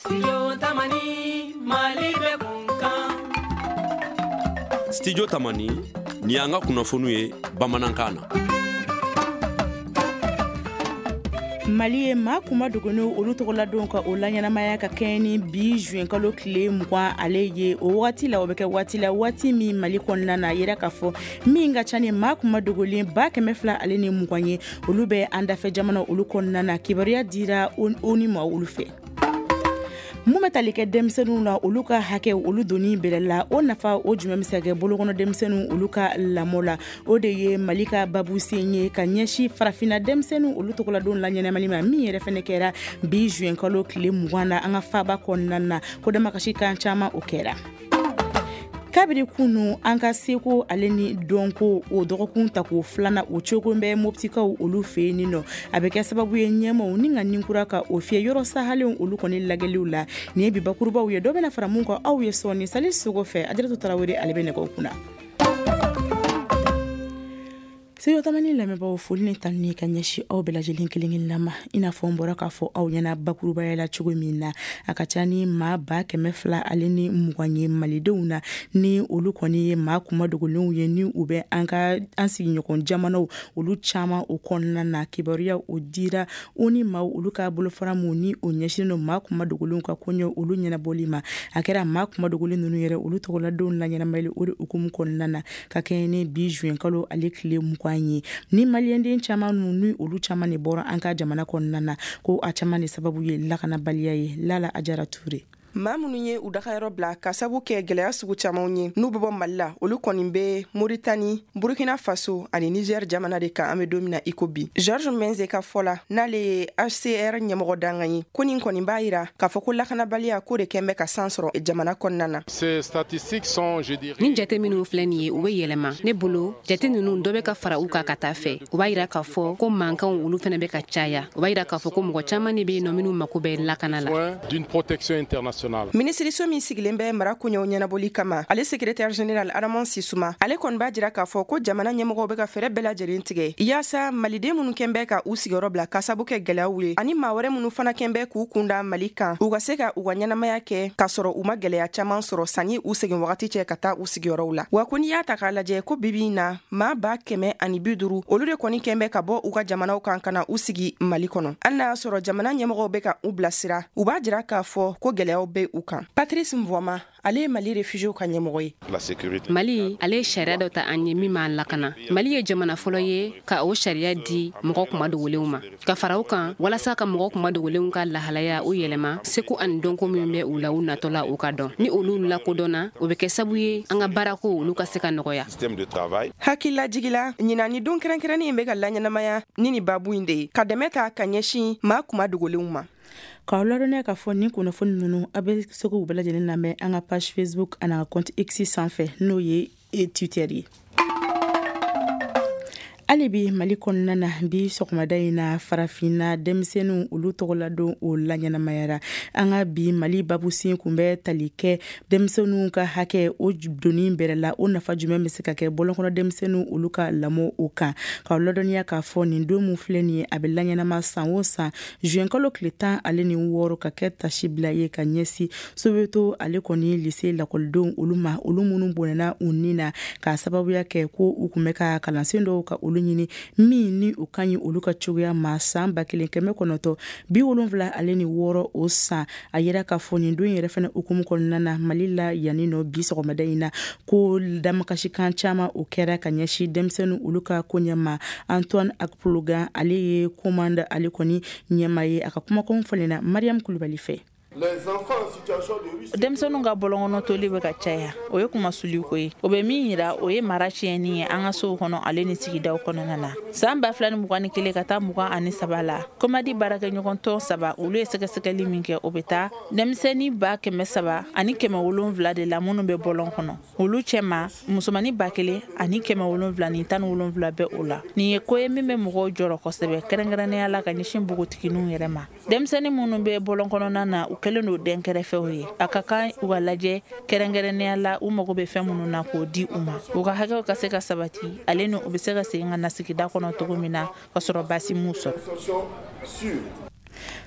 Studio Tamani, Mali bɛ kunkan. Studio Tamani, nin y'an ka kunnafoniw ye bamanankan na. Mali ye maa kuma dogolenw olu tɔgɔladon ka o laɲɛnamaya ka kɛɲɛ ni bi juin kalo tile 20 ale ye. O wagati la, o bɛ kɛ waati la, waati min Mali kɔnɔna na, a yira k'a fɔ min ka ca ni maa kuma dogolen 220 ye, olu bɛ an dafɛ jamana olu kɔnɔna na. Kibaruya dira ONU ma olu fɛ. Mun bɛ tali kɛ denmisɛnninw na, olu ka hakɛ olu donni bɛrɛ la, o nafa o jumɛn bɛ se ka kɛ bolokɔnɔ denmisɛnninw olu ka lamɔ la? O de ye Mali ka babusen ye ka ɲɛsin farafinna denmisɛnninw olu tɔgɔladon laɲɛnamali ma, min yɛrɛ fɛnɛ kɛra bi juin kalo tile 20 na an ka faba kɔnɔna na. Ko damakasi kan caman o kɛra. Kabiri kunu an ka seko ale ni dɔnko o dɔgɔkun tako filanan o cogo bɛ Moptikaw olu fɛ yen nɔ. A bɛ kɛ sababu ye ɲɛmaw ni ka ninkura ka o fiyɛ yɔrɔ sahalenw olu kɔni lagɛliw la. Nin ye bi bakurubaw ye, dɔ bɛna fara mun kan aw ye sɔɔni. Sali Sogo fɛ, Ajaratu Tarawele ale bɛ nɛgɛw kunna. Studio Tamani lamɛnbaaw, foli ni tanuni ka ɲɛsin aw bɛɛ lajɛlen kelen kelenna ma. I n'a fɔ n bɔra k'a fɔ aw ɲɛna bakurubaya la cogo min na, a ka ca ni maa 220 ye malidenw na, ni olu kɔni ye maa kuma dogolenw ye, ni u bɛ an ka an sigiɲɔgɔn jamanaw olu caman o kɔnɔna na. Kibaruya o dira ONU maaw olu ka bolofara mun ni o ɲɛsinnen don maa kuma dogolenw ka koɲɛ olu ɲɛnabɔli ma. A kɛra maa kuma dogolen ninnu yɛrɛ olu tɔgɔladenw laɲɛnamayali o de hukumu kɔnɔna na ka kɛɲɛ ni bi juin kalo ale tile 20 ye. Ni maliyɛnden caman ninnu ni olu caman de bɔra an ka jamana kɔnɔna na, ko a caman de sababu ye lakanabaliya ye. Lala Ajara Ture. Maa minnu ye u dagayɔrɔ bila ka sabu kɛ gɛlɛya sugu camanw ye n'u bɛ bɔ Mali la, olu kɔni bɛ Moritani, Burkina Faso ani Niger jamana de kan an bɛ don min na i ko bi. Georges Menze ka fɔ la, n'ale ye HCR ɲɛmɔgɔ dankan ye, ko nin kɔni b'a yira k'a fɔ ko lakanabaliya ko de kɛn bɛ ka san sɔrɔ jamana kɔnɔna na. Ces statistiques sont, je dirais, Nin jate minnu filɛ nin ye, u bɛ yɛlɛma. Ne bolo, jate ninnu dɔ bɛ ka fara u kan ka taa fɛ. O b'a yira k'a fɔ ko mankanw olu fana bɛ ka caya. O b'a yira k'a fɔ ko mɔgɔ caman de bɛ yen nɔ minnu mako bɛ lakana la. d'une protection internationale. Minisiriso min sigilen bɛ mara koɲɛw ɲɛnabɔli kama, ale secrétaire général Adama Sisuma, ale kɔni b'a jira k'a fɔ ko jamana ɲɛmɔgɔw bɛ ka fɛɛrɛ bɛɛ lajɛlen tigɛ yaasa maliden minnu kɛn bɛ ka u sigiyɔrɔ bila ka sabu kɛ gɛlɛyaw ye, ani maa wɛrɛ minnu fana kɛn bɛ k'u kunda Mali kan, u ka se ka u ka ɲɛnamaya kɛ k'a sɔrɔ u ma gɛlɛya caman sɔrɔ sanni u segin wagati cɛ ka taa u sigiyɔrɔw la. Wa ko n'i y'a ta k'a lajɛ, ko bibi in na maa 150, olu de kɔni kɛn bɛ ka bɔ u ka jamanaw kan ka na u sigi Mali kɔnɔ. Hali n'a y'a sɔrɔ jamana ɲɛmɔgɔw bɛ ka u bilasira, u b'a jira k'a fɔ ko gɛlɛyaw bɛ u kan. Patrice Mvoama, ale ye Mali réfugiés ka ɲɛmɔgɔ ye. La sécurité. Mali ale ye sariya dɔ ta an ye min b'an lakana. Mali ye jamana fɔlɔ ye ka o sariya di mɔgɔ kuma dogolenw ma, ka fara o kan walasa ka mɔgɔ kuma dogolenw ka lahalaya o yɛlɛma, seko ani dɔnko min bɛ u la u natɔ la, u ka dɔn. Ni olu lakodɔnna, o bɛ kɛ sababu ye an ka baarako olu ka se ka nɔgɔya. Système de travail. Hakililajigila, ɲinan ni don kɛrɛnkɛrɛnnen in bɛ ka laɲɛnamaya ni nin babu in de ye, ka dɛmɛ ta ka ɲɛsin maa kuma dogolenw ma. K'aw ladɔnniya k'a fɔ nin kunnafoni ninnu, a bɛ se k'u bɛɛ lajɛlen lamɛn an ka page Facebook ani an ka compte X sanfɛ, n'o ye Twitter ye. Hali bi Mali kɔnɔna na, bi sɔgɔmada in na, farafinna denmisɛnninw olu tɔgɔladon o laɲɛnamayara. An ka bi Mali babusen kun bɛ tali kɛ denmisɛnninw ka hakɛ o donni bɛrɛ la, o nafa jumɛn bɛ se ka kɛ bɔlɔnkɔnɔ denmisɛnninw olu ka lamɔ o kan. K'aw ladɔnniya k'a fɔ nin don min filɛ nin ye, a bɛ laɲɛnama san o san juin kalo tile 16 ka kɛ tasi bila ye ka ɲɛsin Soweto ale kɔni lycée lakɔlidenw olu ma, olu minnu bɔnɛna u ni na k'a sababuya kɛ ko u kun bɛ ka kalansen dɔw ka olu ɲini min ni o ka ɲi olu ka cogoya ma san 1976 o san. A yira k'a fɔ nin don yɛrɛ fɛnɛ hukumu kɔnɔna na Mali la yanni nɔ bi sɔgɔmada in na, ko damakasikan caman o kɛra ka ɲɛsin denmisɛnninw olu ka koɲɛ ma. Antoine Akplogan, ale ye commande ale kɔni ɲɛma ye, a ka kumakanw falenna Mariam Kulubali fɛ. Denmisɛnninw ka bɔlɔnkɔnɔ toli bɛ ka caya, o ye kumasuli ko ye. O bɛ min yira, o ye mara tiɲɛni ye an ka sow kɔnɔ ale ni sigidaw kɔnɔna na. San 2021 ka taa 23 la, Komadi baarakɛɲɔgɔn tɔn saba, olu ye sɛgɛsɛgɛli min kɛ, o bɛ taa denmisɛnnin 300 700 de la minnu bɛ bɔlɔn kɔnɔ. Olu cɛma, musomannin 1717 bɛ o la. Nin ye ko ye min bɛ mɔgɔw jɔrɔ kosɛbɛ, kɛrɛnkɛrɛnnenya la ka ɲɛsin npogotigininw yɛrɛ ma. Denmisɛnnin minnu bɛ bɔlɔn kɔnɔna na, u kɛlen don dɛnkɛrɛfɛw ye. A ka kan u ka lajɛ kɛrɛnkɛrɛnnenya la, u mago bɛ fɛn minnu na, k'o di u ma, u ka hakɛw ka se ka sabati, ale ni u bɛ se ka segin ka na sigida kɔnɔ cogo min na ka sɔrɔ baasi m'u sɔrɔ.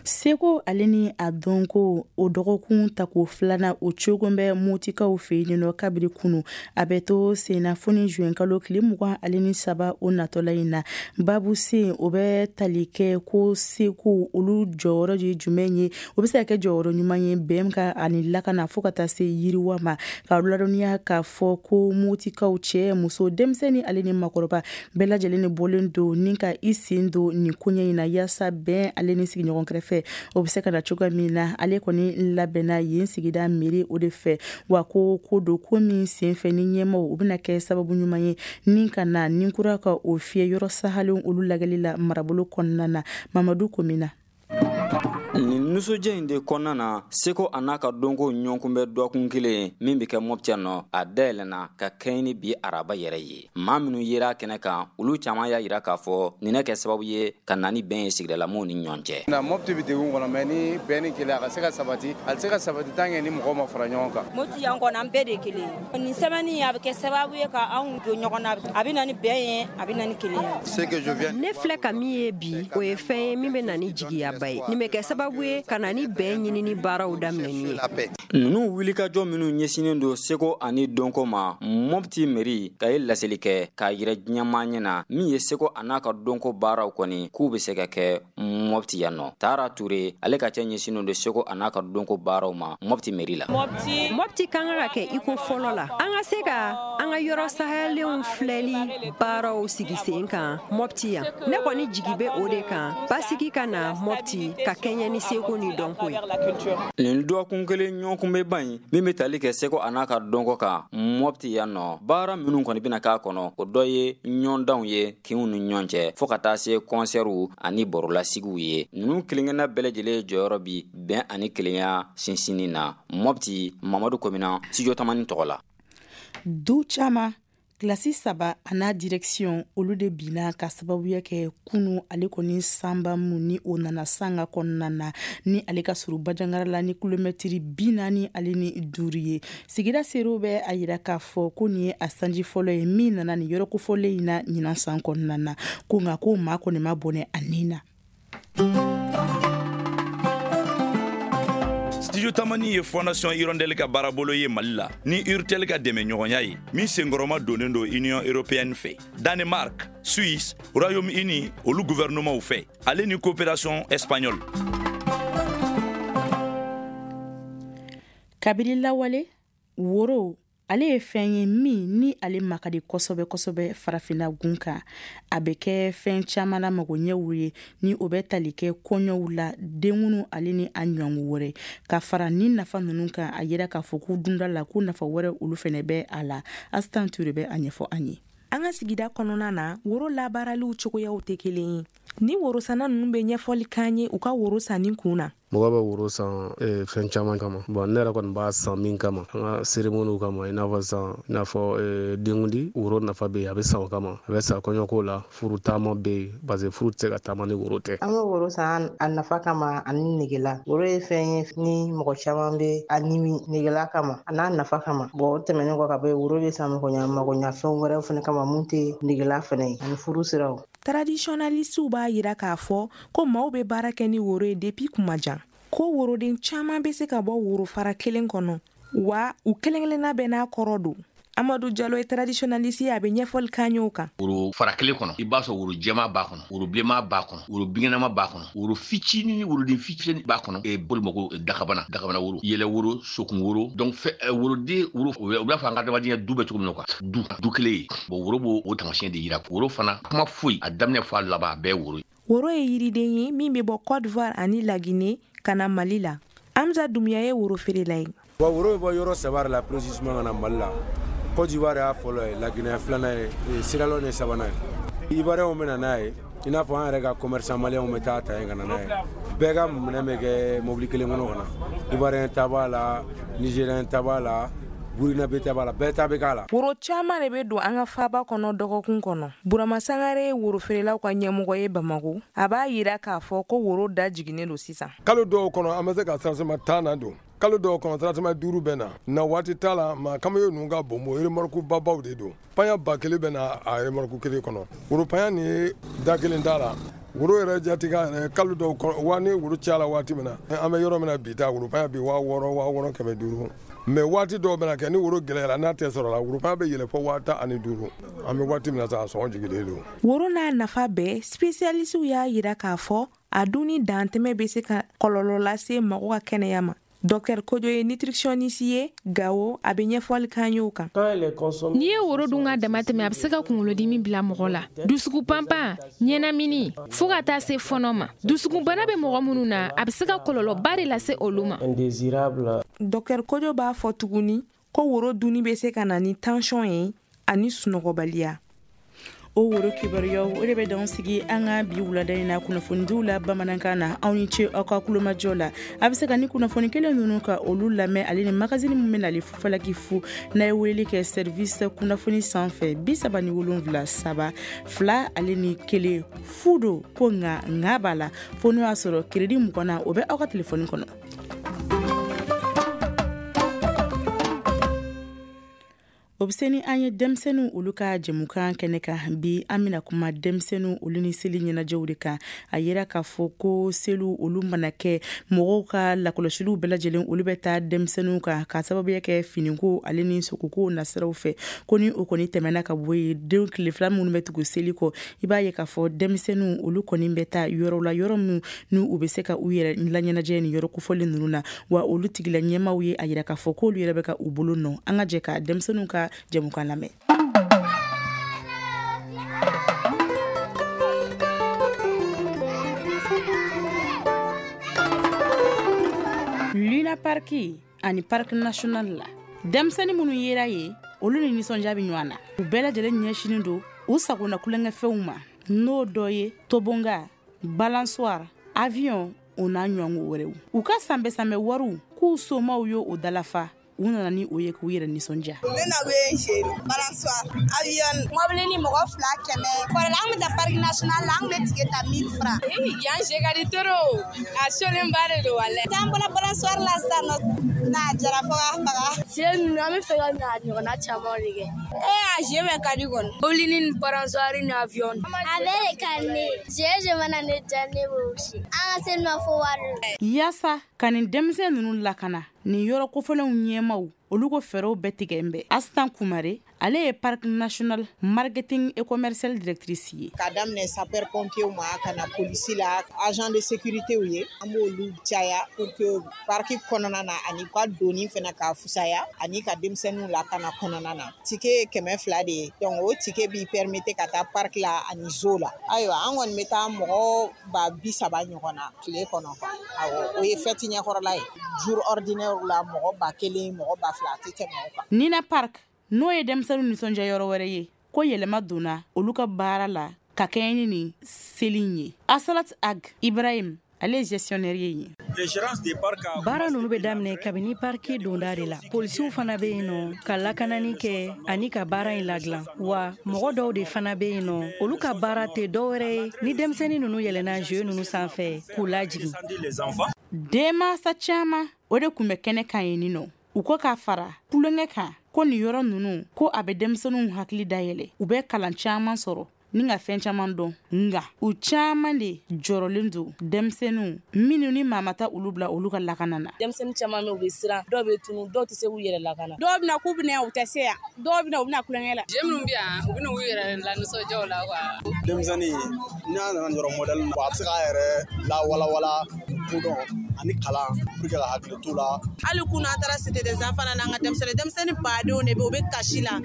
Seko ale ni a dɔnko o dɔgɔkun tako filanan o cogo bɛ Motikaw fɛ yen nɔ kabiri kunu. A bɛ to senna fo ni juin kalo tile 23 o natɔla in na. Babu sen o bɛ tali kɛ ko seko olu jɔyɔrɔ ye jumɛn ye, o bɛ se ka kɛ jɔyɔrɔ ɲuman ye bɛn ka ani lakana fo ka taa se yiriwa ma. Ka ladɔnniya k'a fɔ ko Motikaw cɛ, muso, denmisɛnnin ale ni makɔrɔba bɛɛ lajɛlen de bɔlen don ni ka i sen don nin koɲɛ in na yaasa bɛn ale ni sigiɲɔgɔn kɛrɛfɛ o bɛ se ka na cogoya min na. Ale kɔni labɛnna yen sigida mairie o de fɛ, wa ko don ko min senfɛ ni ɲɛmaw u bɛna kɛ sababu ɲuman ye ni ka na ni kura ka o fiyɛ yɔrɔ sahalen olu lagɛli la marabolo kɔnɔna na. Mamadu Komina. Nin nisɔndiya in de kɔnɔna na, seko a n'a ka dɔnko ɲɔgɔnkunbɛn dɔgɔkun kelen min bɛ kɛ Mopti yan nɔ, a dayɛlɛnna ka kɛɲɛ ni bi araba yɛrɛ ye. Maa minnu yera kɛnɛ kan, olu caman y'a jira k'a fɔ nin kɛ sababu ye ka na ni bɛn ye sigidalamow ni ɲɔgɔn cɛ. Na Mopti bɛ degun kɔnɔ, mais ni bɛn ni kelenya a ka se ka sabati, a tɛ se ka sabati tant que ni mɔgɔw ma fara ɲɔgɔn kan. Mopti yan kɔni an bɛɛ de ye kelen ye. Nin semaine a bɛ kɛ sababu ye ka anw don ɲɔgɔn na, a bɛ na ni bɛn ye, a bɛ na ni kelenya ye. Ne filɛ ka min ye bi, o ye fɛn ye min bɛ na ni jigiyaba ye. Nin bɛ kɛ sababu ye ka na ni bɛn ɲinini baaraw daminɛni ye. Ninnu wulikajɔ minnu ɲɛsinnen don seko ani dɔnko ma, Mopti mairie ka ye laseli kɛ k'a yira diɲɛmaa ɲɛ na min ye seko a n'a ka dɔnko baaraw kɔni k'u bɛ se ka kɛ Mopti yan nɔ. Tara Ture, ale ka cɛ ɲɛsinnen don seko a n'a ka dɔnko baaraw ma Mopti mairie la. Mopti kan ka kɛ i ko fɔlɔ la, an ka se ka an ka yɔrɔ sahalenw filɛli baaraw sigi sen kan Mopti yan. Ne kɔni jigi bɛ o de kan, basigi ka na Mopti ka kɛɲɛ ni seko ni dɔnko ye. Nin dɔgɔkun kelen ɲɔgɔnkunbɛnba in min bɛ tali kɛ seko a n'a ka dɔnko kan Mopti yan nɔ, baara minnu kɔni bɛna k'a kɔnɔ, o dɔ ye ɲɔgɔndanw ye kinw ni ɲɔgɔn cɛ fo ka taa se kɔnsɛriw ani barolasigiw ye. Ninnu kelenkelenna bɛɛ lajɛlen jɔyɔrɔ bi bɛn ani kelenya sinsinni na Mopti. Mamadu Komina, Studio Tamani tɔgɔ la. Du caman kilasi 3 a n'a direction olu de binna ka sababuya kɛ kunu ale kɔni sanba mun ni o nana sanga kɔnɔna na ni ale ka surun Bajangara la ni kilomɛtiri 45 ye. Sigida seerew bɛ a yira k'a fɔ ko nin ye a sanji fɔlɔ ye min nana nin yɔrɔ kofɔlen in na ɲinan san kɔnɔna na, ko nka ko maa kɔni ma bɔnɛ a nin na. Studio Tamani ye Fondation Hirondelle ka baarabolo ye Mali la ni Urtel ka dɛmɛɲɔgɔnya ye min senkɔrɔma donnen don Union européenne fɛ, Danemark, Suisse, Royaume-Uni olu gouvernementw fɛ, ale ni coopération espagnole. Kabiri lawale, woro ale ye fɛn ye min ni ale makadi kosɛbɛ kosɛbɛ farafinna gun kan. A bɛ kɛ fɛn caman na magoɲɛw ye ni o bɛ tali kɛ kɔɲɔw la, denkunnu ale ni a ɲɔgɔn wɛrɛ. Ka fara ni nafa ninnu kan, a yira k'a fɔ ko dunda la ko nafa wɛrɛ olu fɛnɛ bɛ a la. Asitan Ture bɛ a ɲɛfɔ an ye. An ka sigida kɔnɔna na, woro labaaraliw cogoyaw tɛ kelen ye. Ni worosanna ninnu bɛ ɲɛfɔli k'an ye u ka woro sanni kun na. Mɔgɔ bɛ woro san fɛn caman kama. Bon, ne yɛrɛ kɔni b'a san min kama, an ka cérémonie kama, i n'a fɔ sisan, i n'a fɔ denkundi, woro nafa bɛ yen, a bɛ san o kama, a bɛ san kɔɲɔko la, furu taama bɛ yen, parce que furu tɛ se ka taama ni woro tɛ. An bɛ woro san a nafa kama ani negela. Woro ye fɛn ye ni mɔgɔ caman bɛ a ɲimi negela kama, a n'a nafa kama. Bon, o tɛmɛnen kɔ ka bɔ yen, woro bɛ san magoɲafɛnw wɛrɛw fana kama mun tɛ negela fana ye, ani furu siraw. Traditionnalistew b'a yira k'a fɔ ko maaw bɛ baara kɛ ni woro ye depuis kuma jan, ko woroden caman bɛ se ka bɔ worofara kelen kɔnɔ, wa u kelen kelenna bɛɛ n'a kɔrɔ don. Amadu Jalo ye traditionnaliste ye, a bɛ ɲɛfɔli k'an ye o kan. Woro fara kelen kɔnɔ, i b'a sɔrɔ woro jɛman b'a kɔnɔ, woro bilenman b'a kɔnɔ, woro binkɛnɛma b'a kɔnɔ, woro fitinin, woroden fitinin b'a kɔnɔ. Boli ma ko dakabana, dakabana woro, yɛlɛ woro, sokun woro. Donc woroden woro, u b'a fɔ an ka adamadenya du bɛ cogo min na quoi, du kelen ye. Bon, woro b'o o taamasiyɛn de yira. Woro fana kuma foyi, a daminɛ fɔ a laban, a bɛɛ ye woro ye. Woro ye yiriden ye min bɛ bɔ Côte d'Ivoire ani Laginɛ ka na Mali la. Amza Dumiya ye woro feerela ye. Bon, woro bɛ bɔ yɔrɔ 3 de la précisément ka na Mali la. Côte d'Ivoire y'a fɔlɔ ye, Laginɛ filanan ye, Sierra Leone ye sabanan ye. Ivoiriyɛnw bɛ na n'a ye, i n'a fɔ an yɛrɛ ka commerçant maliyɛnw bɛ taa ta yen ka na n'a ye. Bɛɛ ka minɛn bɛ kɛ mobili kelen kɔnɔ ka na. Ivoiriyɛn ta b'a la, Nigérien ta b'a la, Burkinabé ta b'a la, bɛɛ ta bɛ k'a la. Woro caman de bɛ don an ka faaba kɔnɔ dɔgɔkun kɔnɔ. Burama Sangare ye worofeerelaw ka ɲɛmɔgɔ ye Bamako. A b'a yira k'a fɔ ko woro da jiginnen don sisan. Kalo dɔw kɔnɔ an bɛ se ka sarasama 10 na don. Kalo dɔw kɔnɔ sarasama 5 bɛ na. Na waati t'a la, maa kamalenw ninnu ka bon remorque babaw de don. Paɲa 1000 bɛ na a remorque kelen kɔnɔ. Woro paɲa nin ye da kelen t'a la. Woro yɛrɛ jatigɛ yɛrɛ kalo dɔw wa ni woro cayala waati min na, an bɛ yɔrɔ min na bi ta, woro bi 6500 500. Mais waati dɔw bɛna kɛ ni woro gɛlɛyara, n'a tɛ sɔrɔ la, woro bɛ yɛlɛ fo 15,000. An bɛ waati min na sa, a sɔngɔ jigilen don. Woro n'a nafa bɛɛ, spécialistes y'a yira k'a fɔ a dunni dantɛmɛ bɛ se ka kɔlɔlɔ lase mɔgɔ ka kɛnɛya ma. Dr Kojo ye nutritionniste ye Gawo, a bɛ ɲɛfɔli k'an ye o kan. N'i ye woro dun ka dama tɛmɛ, a bɛ se ka kunkolodimi bila mɔgɔ la, dusukun panpan, ɲɛnamini, fo ka taa se fɔnɔ ma. Dusukunbana bɛ mɔgɔ minnu na, a bɛ se ka kɔlɔlɔba de lase olu ma. Dr Kojo b'a fɔ tuguni ko woro dunni bɛ se ka na ni tension ye ani sunɔgɔbaliya. O woro kibaruyaw, o de bɛ dan sigi an ka bi wulada in na kunnafonidiw la bamanankan na. Aw ni ce aw ka kulomajɔ la. A bɛ se ka ni kunnafoni kelen ninnu ka olu lamɛn, ale ni magazine min bɛ nali fufalaki fu, n'a ye weleli kɛ service kunnafoni sanfɛ 37 3 2 ale ni 1 fu don ko nka nka b'a la, fo n'o y'a sɔrɔ crédit 20 na, o bɛ aw ka telefɔni kɔnɔ. O bɛ se ni an ye denmisɛnninw olu ka jɛmukan kɛnɛ kan. Bi, an bɛna kuma denmisɛnninw olu ni seli ɲɛnajɛw de kan. A yira k'a fɔ ko seliw olu mana kɛ, mɔgɔw ka lakɔlɔsiliw bɛɛ lajɛlen olu bɛ taa denmisɛnninw kan, ka sababuya kɛ finiko ale ni sogoko nasiraw fɛ. Ko ni o kɔni tɛmɛna ka bɔ yen, den tile 2 minnu bɛ tugu seli kɔ, i b'a ye k'a fɔ denmisɛnninw olu kɔni bɛ taa yɔrɔw la, yɔrɔ min ni u bɛ se ka u yɛrɛ laɲɛnajɛ ni yɔrɔ kofɔlen ninnu na. Wa olu tigila ɲɛmaaw ye a yira k'a fɔ k'olu yɛrɛ bɛ ka u bolo nɔ. An ka jɛ ka denmisɛnninw ka jɛmukan lamɛn. Luna Park ani Parc National la, denmisɛnnin minnu yera ye, olu ni nisɔndiya bɛ ɲɔgɔn na. U bɛɛ lajɛlen ɲɛsinnen don u sagona kulonkɛfɛnw ma, n'o dɔ ye toboggan, balançoire, avion, o n'a ɲɔgɔn wɛrɛw. U ka sanbɛ sanbɛ wariw k'u somaw ye o dalafa, u nana ni o ye k'u yɛrɛ nisɔndiya. Ne na bɛ jeu balançoire, avion, mobili ni mɔgɔ 200. Kɔrɔla an bɛ taa parc national la, an bɛ ticket ta 1000 francs. Yan jeu ka di trop, a solenba de don walayi. N'an bɔra balançoire la sisan nɔ, n'a jara fo k'a faga. Jeu ninnu, an bɛ fɛ ka na ɲɔgɔnna caman de kɛ. A jeu bɛɛ ka di kɔni. Mobili ni balançoire ni avion. A bɛɛ de ka di ne ye. Jeu mana ne diya, ne b'o si. An ka seli ma fo wari. Yaasa ka nin denmisɛn ninnu lakana, nin yɔrɔ kofɔlenw ɲɛmaw olu ko fɛɛrɛw bɛɛ tigɛ n bɛɛ. Astan Kumare, ale ye Parc National marketing et commercial directrice ye. K'a daminɛ sapeur pompier ma ka na polisi la, agent de sécurité ye, an b'olu caya pour que parc kɔnɔna na ani ka doni fana ka fusaya ani ka denmisɛnninw lakana kɔnɔna na. Ticket ye 200 de ye, donc o ticket b'i permettre ka taa parc la ani zoo la. Ayiwa, an kɔni bɛ taa mɔgɔ 30,000 ɲɔgɔn na tile kɔnɔ. Awɔ, o ye fête ɲɛkɔrɔla ye. Jour ordinaire la, mɔgɔ 1000, mɔgɔ 2000, a tɛ tɛmɛ o kan. Nina Park, n'o ye denmisɛnninw nisɔndiya yɔrɔ wɛrɛ ye, ko yɛlɛma donna olu ka baara la ka kɛɲɛ ni nin seli in ye. Asalat Ag Ibrahim, ale ye gestionnaire ye. Baara ninnu bɛ daminɛ kabini parki donda de la. Polisiw fana bɛ yen nɔ ka lakanani kɛ ani ka baara in ladilan. Wa mɔgɔ dɔw de fana bɛ yen nɔ, olu ka baara tɛ dɔwɛrɛ ye ni denmisɛnnin ninnu yɛlɛnna jeu ninnu sanfɛ k'u lajigin. Denmansa caman o de tun bɛ kɛnɛ kan yen nɔ. U ko k'a fara kulonkɛ kan ko nin yɔrɔ ninnu, ko a bɛ denmisɛnninw hakili dayɛlɛ, u bɛ kalan caman sɔrɔ ni ka fɛn caman dɔn. Nka u caman de jɔrɔlen don denmisɛnninw minnu ni maa ma taa olu bila olu ka lakana na. Denmisɛnnin caman bɛ, u bɛ siran, dɔw bɛ tunu, dɔw tɛ se k'u yɛrɛ lakana. Dɔw bɛ na k'u bɛ na, u tɛ se yan, dɔw bɛ na, u bɛ na kulonkɛ la. Jeu minnu bɛ yan, u bɛ n'u yɛrɛ lanisɔndiya o la quoi. Denmisɛnnin n'a nana yɔrɔ modèle na, a bɛ se k'a yɛrɛ lawalawala kodɔn ani kalan pour que ka hakili t'u la. Hali kunun an taara cité des enfants na, n'an ka denmisɛnnin badenw de bɛ, u bɛ kasi la.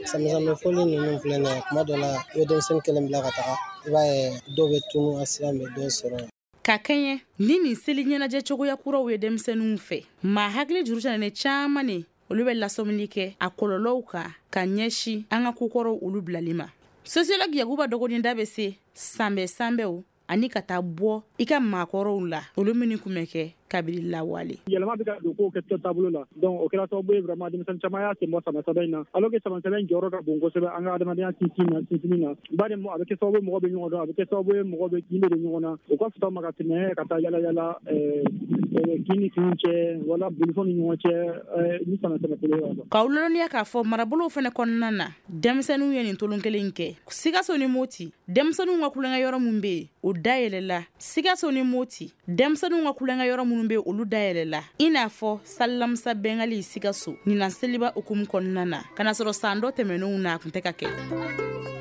Sanbɛ fɔli ninnu filɛ nin ye, kuma dɔ la i bɛ denmisɛnnin kelen bila ka taga, i b'a ye dɔw bɛ tunu, accident bɛ dɔw sɔrɔ. Ka kɛɲɛ ni nin seli ɲɛnajɛ cogoya kuraw ye denmisɛnninw fɛ, maa hakili juru canen caman ne olu bɛ lasɔmili kɛ a kɔlɔlɔw kan ka ɲɛsin an ka kokɔrɔw olu bilali ma. Sociologue Yakuba Dɔgɔninda bɛ se sanbɛ sanbɛw ani ka taa bɔ i ka maakɔrɔw la, olu minnu tun bɛ kɛ kabiri lawale. Yɛlɛma bɛ ka don kow kɛ taabolo la, donc o kɛra sababu ye vraiment denmisɛnnin caman y'a sen bɔ sama sɛbɛ in na, alors que sama sɛbɛ in jɔyɔrɔ ka bon kosɛbɛ an ka adamadenya sinsinni na. Bari a bɛ kɛ sababu ye mɔgɔ bɛ ɲɔgɔn dɔn, a bɛ kɛ sababu ye mɔgɔ bɛ kin bɛ don ɲɔgɔn na. O ka fisa ma ka tɛmɛ ka taa yala yala kin ni kinw cɛ wala bolifɛnw ni ɲɔgɔn cɛ ni sama sɛbɛ kolo ye. K'aw ladɔnniya k'a fɔ marabolow fana kɔnɔna na, denmisɛnninw ye nin tolon kelen kɛ. Sikaso ni Moti, denmisɛnninw ka kulonkɛ yɔrɔ min bɛ yen, o dayɛlɛla. Sikaso ni Moti, denmisɛnninw ka kulonkɛ yɔrɔ minnu bɛ yen, olu dayɛlɛla, i n'a fɔ Salilamisa Bɛngali Sikaso ɲinan seliba hukumu kɔnɔna na, ka na sɔrɔ san dɔ tɛmɛnenw na a tun tɛ ka kɛ.